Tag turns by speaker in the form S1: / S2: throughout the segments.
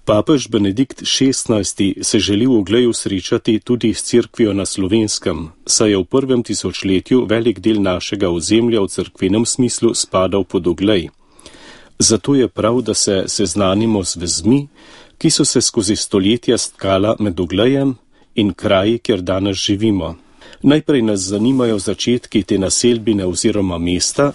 S1: Papež Benedikt XVI se želi v Ogleju srečati tudi s cerkvijo na Slovenskem, saj je v prvem tisočletju velik del našega ozemlja v cerkvenem smislu spadal pod Oglej. Zato je prav, da se seznanimo z vezmi, ki so se skozi stoletja stkala med Oglejem in kraji, kjer danes živimo. Najprej nas zanimajo začetki te naselbine oziroma mesta,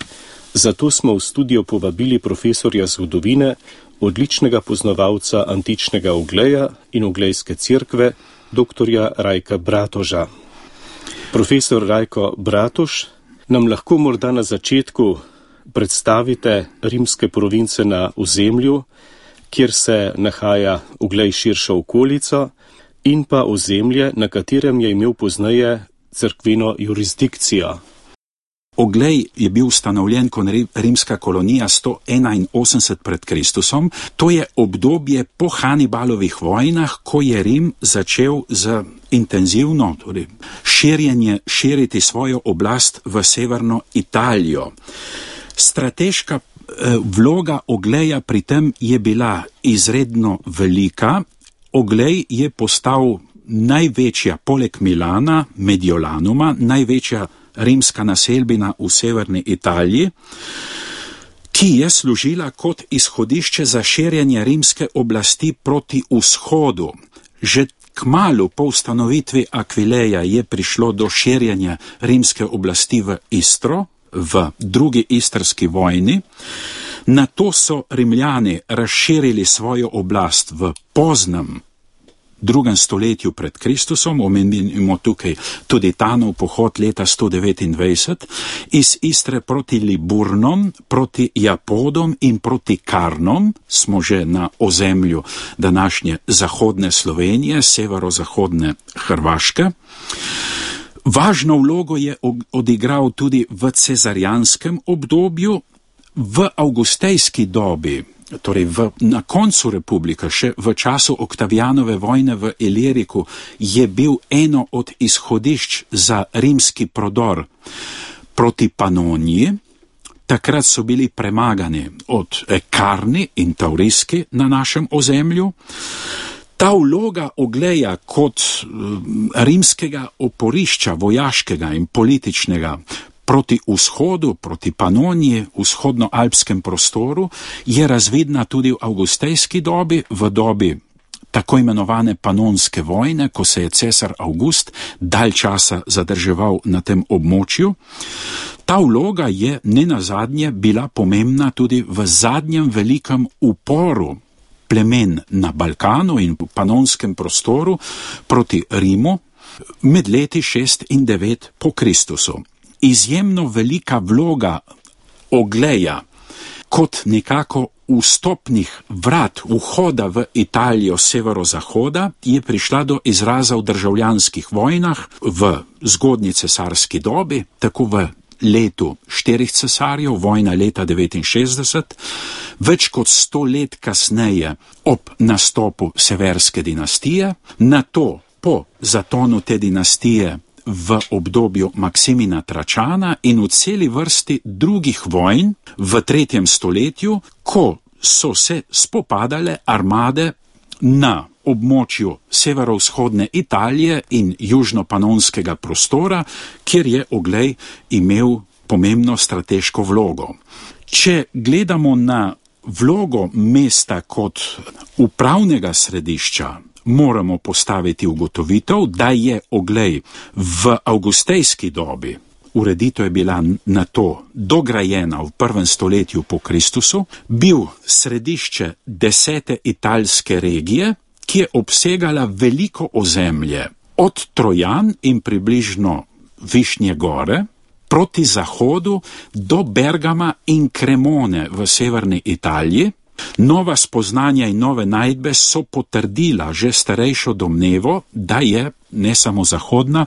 S1: zato smo v studio povabili profesorja zgodovine, odličnega poznavalca antičnega Ogleja in Oglejske cerkve, doktorja Rajka Bratoža. Profesor Rajko Bratož, nam lahko morda na začetku predstavite rimske province na ozemlju, kjer se nahaja Oglej širšo okolico, in pa ozemlje, na katerem je imel pozneje cerkveno jurisdikcijo.
S2: Oglej je bil ustanovljen kot rimska kolonija 181 pred Kristusom. To je obdobje po Hanibalovih vojnah, ko je Rim začel z intenzivno širiti svojo oblast v severno Italijo. Strateška vloga Ogleja pri tem je bila izredno velika. Oglej je postal največja, poleg Milana, Mediolanuma, največja rimska naselbina v severni Italiji, ki je služila kot izhodišče za širjenje rimske oblasti proti vzhodu. Že kmalu po ustanovitvi Aquileja je prišlo do širjenja rimske oblasti v Istro, v drugi istrski vojni. Nato so Rimljani razširili svojo oblast v poznem drugem stoletju pred Kristusom, omenimo tukaj tudi Tanov pohod leta 129, iz Istre proti Liburnom, proti Japodom in proti Karnom, smo že na ozemlju današnje zahodne Slovenije, severozahodne Hrvaške. Važno vlogo je odigral tudi v cezarijanskem obdobju, v avgustejski dobi, torej na koncu republike, še v času Oktavijanove vojne v Iliriku, je bil eno od izhodišč za rimski prodor proti Panoniji. Takrat so bili premagani od Karni in Tauriski na našem ozemlju. Ta vloga Ogleja kot rimskega oporišča, vojaškega in političnega, proti vzhodu, proti Panoniji, vzhodnoalpskem prostoru, je razvidna tudi v avgustejski dobi, v dobi tako imenovane panonske vojne, ko se je cesar Avgust dalj časa zadrževal na tem območju. Ta vloga je nenazadnje bila pomembna tudi v zadnjem velikem uporu plemen na Balkanu in v panonskem prostoru proti Rimu med leti 6 in 9 po Kristusu. Izjemno velika vloga Ogleja kot nekako vstopnih vrat vhoda v Italijo severozahoda je prišla do izraza v državljanskih vojnah v zgodnji cesarski dobi, tako v letu 4 cesarjev, vojna leta 69, več kot 100 let kasneje ob nastopu severske dinastije, nato po zatonu te dinastije v obdobju Maksimina Tračana in v celi vrsti drugih vojn v 3. stoletju, ko so se spopadale armade na območju severovzhodne Italije in južnopanonskega prostora, kjer je Oglej imel pomembno strateško vlogo. Če gledamo na vlogo mesta kot upravnega središča, moramo postaviti ugotovitev, da je Oglej v avgustejski dobi, ureditev je bila na to dograjena v 1. stoletju po Kristusu, bil središče 10. italske regije, ki je obsegala veliko ozemlje od Trojan in približno Višnje gore proti zahodu do Bergama in Cremone v severni Italiji. Nova spoznanja in nove najdbe so potrdila že starejšo domnevo, da je ne samo zahodna,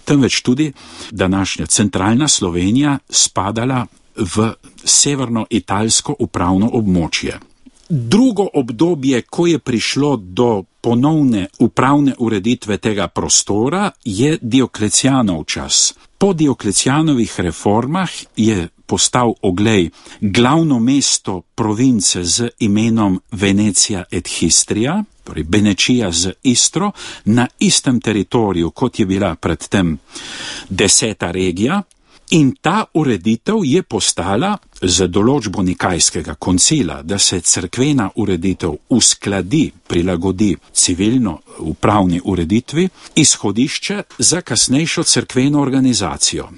S2: temveč tudi današnja centralna Slovenija spadala v severno-italsko upravno območje. Drugo obdobje, ko je prišlo do ponovne upravne ureditve tega prostora je Dioklecijanov čas. Po Dioklecijanovih reformah je postal Oglej glavno mesto province z imenom Venecija et Histria, torej Benečija z Istro, na istem teritoriju, kot je bila predtem 10. regija. In ta ureditev je postala z določbo Nikajskega koncila, da se cerkvena ureditev uskladi, prilagodi civilno upravni ureditvi, izhodišče za kasnejšo cerkveno organizacijo.